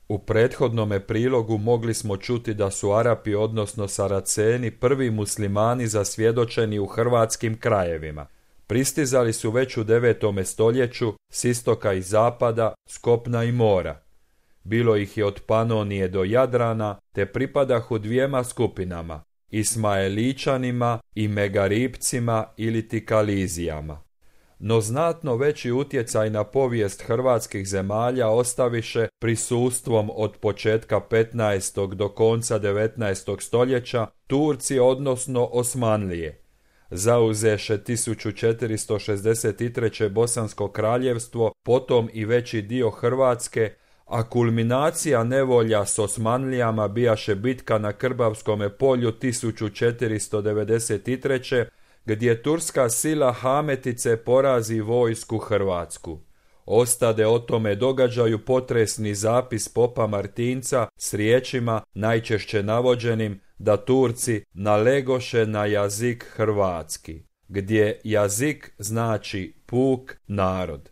U prethodnome prilogu mogli smo čuti da su Arapi, odnosno Saraceni, prvi muslimani zasvjedočeni u hrvatskim krajevima. Pristizali su već u 9. stoljeću s istoka i zapada, s kopna i mora. Bilo ih je od Panonije do Jadrana, te pripadahu dvijema skupinama, Ismaeličanima i Megaripcima ili ti Kalizijama. No znatno veći utjecaj na povijest hrvatskih zemalja ostaviše prisustvom od početka 15. do konca 19. stoljeća Turci, odnosno Osmanlije. Zauzeše 1463. Bosansko kraljevstvo, potom i veći dio Hrvatske, a kulminacija nevolja s Osmanlijama bijaše bitka na Krbavskome polju 1493. gdje turska sila Hametice porazi vojsku hrvatsku. Ostade o tome događaju potresni zapis popa Martinca s riječima najčešće navođenim da Turci nalegoše na jazik hrvatski, gdje jazik znači puk, narod.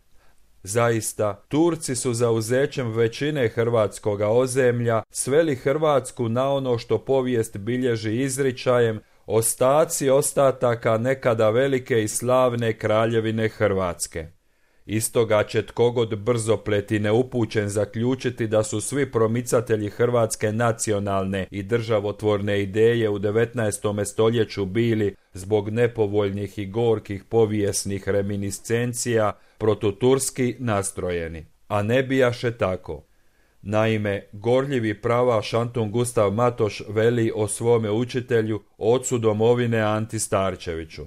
Zaista, Turci su zauzećem većine hrvatskoga ozemlja sveli Hrvatsku na ono što povijest bilježi izričajem ostaci ostataka nekada velike i slavne kraljevine Hrvatske. Istoga će tkogod brzopleti i neupućen zaključiti da su svi promicatelji hrvatske nacionalne i državotvorne ideje u 19. stoljeću bili, zbog nepovoljnih i gorkih povijesnih reminiscencija, protuturski nastrojeni. A ne bijaše tako. Naime, gorljivi pravaš Antun Gustav Matoš veli o svome učitelju, ocu domovine Anti Starčeviću.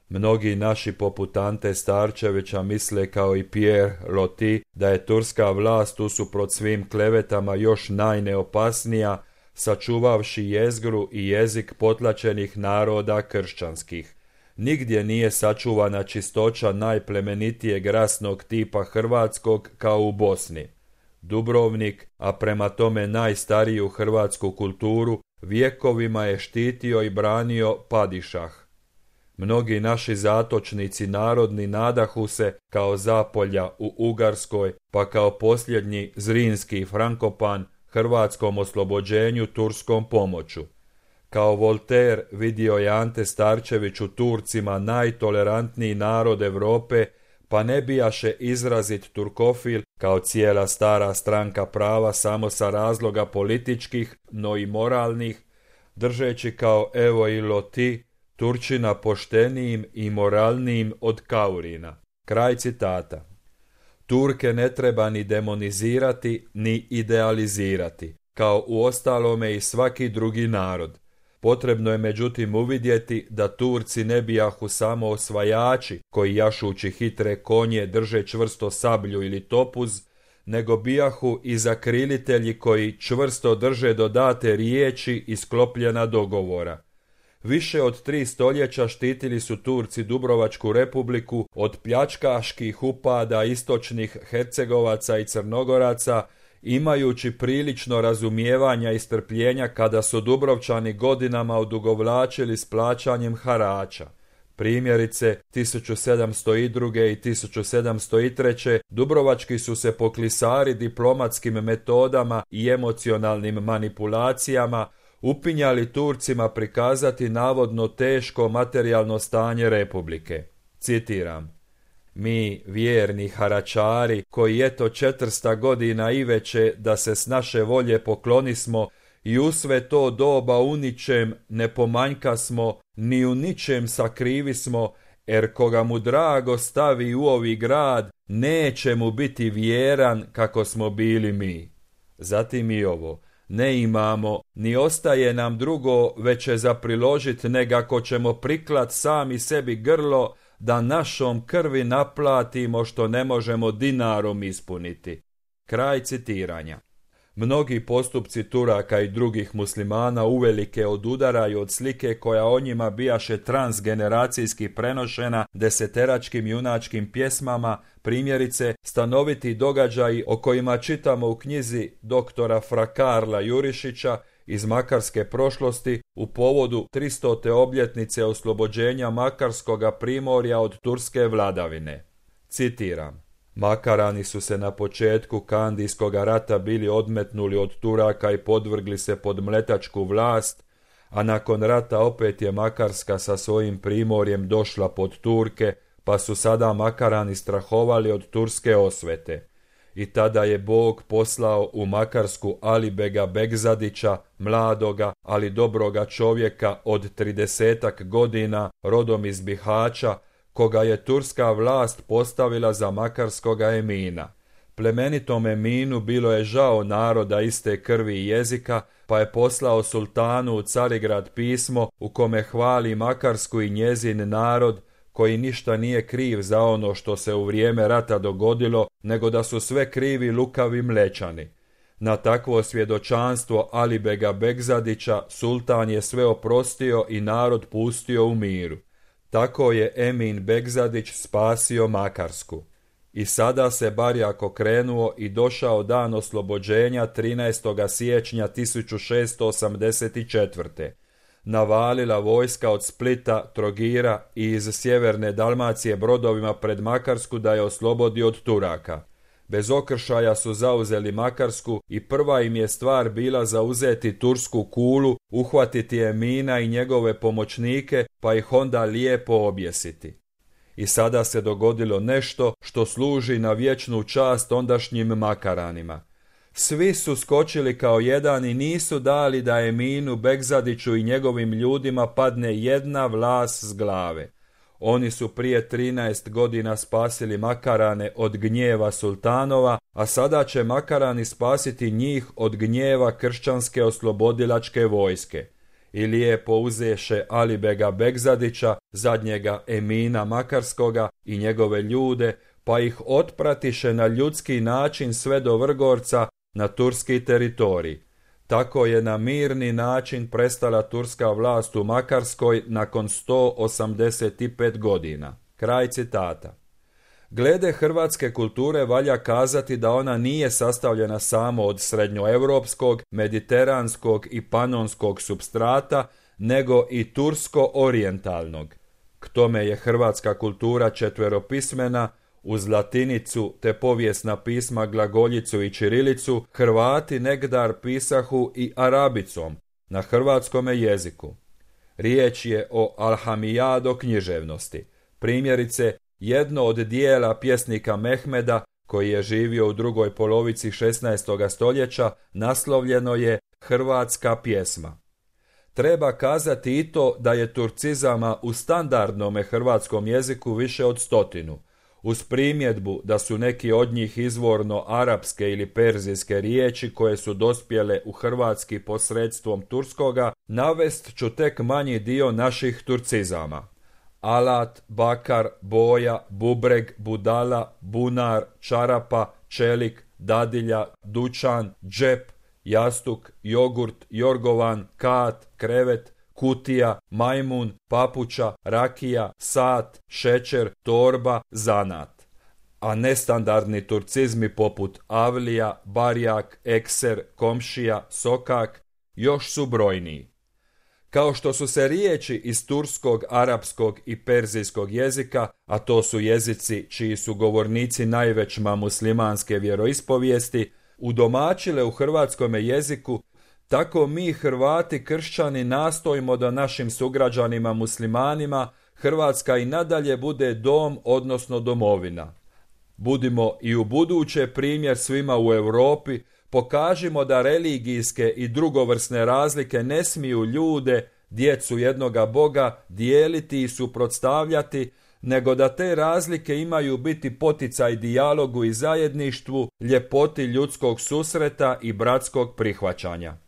Mnogi naši poput Ante Starčevića misle kao i Pierre Loti da je turska vlast usuprot svim klevetama još najneopasnija, sačuvavši jezgru i jezik potlačenih naroda kršćanskih. Nigdje nije sačuvana čistoća najplemenitijeg rasnog tipa hrvatskog kao u Bosni. Dubrovnik, a prema tome najstariju hrvatsku kulturu, vjekovima je štitio i branio padišah. Mnogi naši zatočnici narodni nadahu se kao Zapolja u Ugarskoj, pa kao posljednji Zrinski Frankopan hrvatskom oslobođenju turskom pomoću. Kao Voltaire vidio je Ante Starčević u Turcima najtolerantniji narod Europe, pa ne bijaše izrazit turkofil kao cijela stara stranka prava samo sa razloga političkih, no i moralnih, držeći kao Evo i Loti Turčina poštenijim i moralnijim od Kaurina. Kraj citata. Turke ne treba ni demonizirati, ni idealizirati, kao uostalome i svaki drugi narod. Potrebno je međutim uvidjeti da Turci ne bijahu samo osvajači koji jašući hitre konje drže čvrsto sablju ili topuz, nego bijahu i zakrilitelji koji čvrsto drže do date riječi i sklopljena dogovora. Više od 3 stoljeća štitili su Turci Dubrovačku republiku od pljačkaških upada istočnih Hercegovaca i Crnogoraca, imajući prilično razumijevanja i strpljenja kada su Dubrovčani godinama odugovlačili s plaćanjem harača. Primjerice, 1702. i 1703. Dubrovački su se poklisari diplomatskim metodama i emocionalnim manipulacijama upinjali Turcima prikazati navodno teško materijalno stanje republike. Citiram: mi, vjerni haračari, koji eto 400 godina i veće da se s naše volje poklonismo i u sve to doba u ničem ne pomanjka smo, ni u ničem sakrivi smo, jer koga mu drago stavi u ovi grad, neće mu biti vjeran kako smo bili mi. Zatim i ovo: ne imamo, ni ostaje nam drugo veće za priložit negako ćemo priklat sami sebi grlo da našom krvi naplatimo što ne možemo dinarom ispuniti. Kraj citiranja. Mnogi postupci Turaka i drugih muslimana uvelike odudaraju od slike koja o njima bijaše transgeneracijski prenošena deseteračkim junačkim pjesmama, primjerice stanoviti događaji o kojima čitamo u knjizi doktora Fra Karla Jurišića iz makarske prošlosti u povodu 300. obljetnice oslobođenja Makarskoga primorja od turske vladavine. Citiram: Makarani su se na početku Kandijskog rata bili odmetnuli od Turaka i podvrgli se pod mletačku vlast, a nakon rata opet je Makarska sa svojim primorjem došla pod Turke, pa su sada Makarani strahovali od turske osvete. I tada je Bog poslao u Makarsku Alibega Begzadića, mladoga, ali dobroga čovjeka od 30 godina, rodom iz Bihaća, koga je turska vlast postavila za makarskoga emina. Plemenitom eminu bilo je žao naroda iste krvi i jezika, pa je poslao sultanu u Carigrad pismo u kome hvali Makarsku i njezin narod, koji ništa nije kriv za ono što se u vrijeme rata dogodilo, nego da su sve krivi lukavi Mlečani. Na takvo svjedočanstvo Alibega Begzadića sultan je sve oprostio i narod pustio u miru. Tako je Emin Begzadić spasio Makarsku. I sada se barjak okrenuo i došao dan oslobođenja 13. siječnja 1684. Navalila vojska od Splita, Trogira i iz sjeverne Dalmacije brodovima pred Makarsku da je oslobodi od Turaka. Bez okršaja su zauzeli Makarsku i prva im je stvar bila zauzeti tursku kulu, uhvatiti Emina i njegove pomoćnike, pa ih onda lijepo objesiti. I sada se dogodilo nešto što služi na vječnu čast ondašnjim Makaranima. Svi su skočili kao jedan i nisu dali da Eminu Begzadiću i njegovim ljudima padne jedna vlas s glave. Oni su prije 13 godina spasili Makarane od gnjeva sultanova, a sada će Makarani spasiti njih od gnjeva kršćanske oslobodilačke vojske. I lijepo uzeše Alibega Begzadića, zadnjega Emina Makarskoga i njegove ljude, pa ih otpratiše na ljudski način sve do Vrgorca, na turski teritorij. Tako je na mirni način prestala turska vlast u Makarskoj nakon 185 godina. Kraj citata. Glede hrvatske kulture valja kazati da ona nije sastavljena samo od srednjoevropskog, mediteranskog i panonskog supstrata, nego i tursko-orijentalnog. K tome je hrvatska kultura četveropismena, uz latinicu te povijesna pisma glagoljicu i ćirilicu, Hrvati negdar pisahu i arabicom, na hrvatskome jeziku. Riječ je o alhamijado književnosti. Primjerice, jedno od dijela pjesnika Mehmeda, koji je živio u drugoj polovici 16. stoljeća, naslovljeno je Hrvatska pjesma. Treba kazati i to da je turcizama u standardnome hrvatskom jeziku više od 100. Uz primjedbu da su neki od njih izvorno arapske ili perzijske riječi koje su dospjele u hrvatski posredstvom turskoga, navest ću tek manji dio naših turcizama. Alat, bakar, boja, bubreg, budala, bunar, čarapa, čelik, dadilja, dućan, džep, jastuk, jogurt, jorgovan, kat, krevet, kutija, majmun, papuča, rakija, sat, šećer, torba, zanat. A nestandardni turcizmi poput avlija, barjak, ekser, komšija, sokak još su brojniji. Kao što su se riječi iz turskog, arapskog i perzijskog jezika, a to su jezici čiji su govornici najvećma muslimanske vjeroispovijesti, udomačile u hrvatskome jeziku, tako mi Hrvati kršćani nastojimo da našim sugrađanima muslimanima Hrvatska i nadalje bude dom, odnosno domovina. Budimo i u buduće primjer svima u Europi, pokažimo da religijske i drugovrsne razlike ne smiju ljude, djecu jednoga Boga, dijeliti i suprotstavljati, nego da te razlike imaju biti poticaj dijalogu i zajedništvu, ljepoti ljudskog susreta i bratskog prihvaćanja.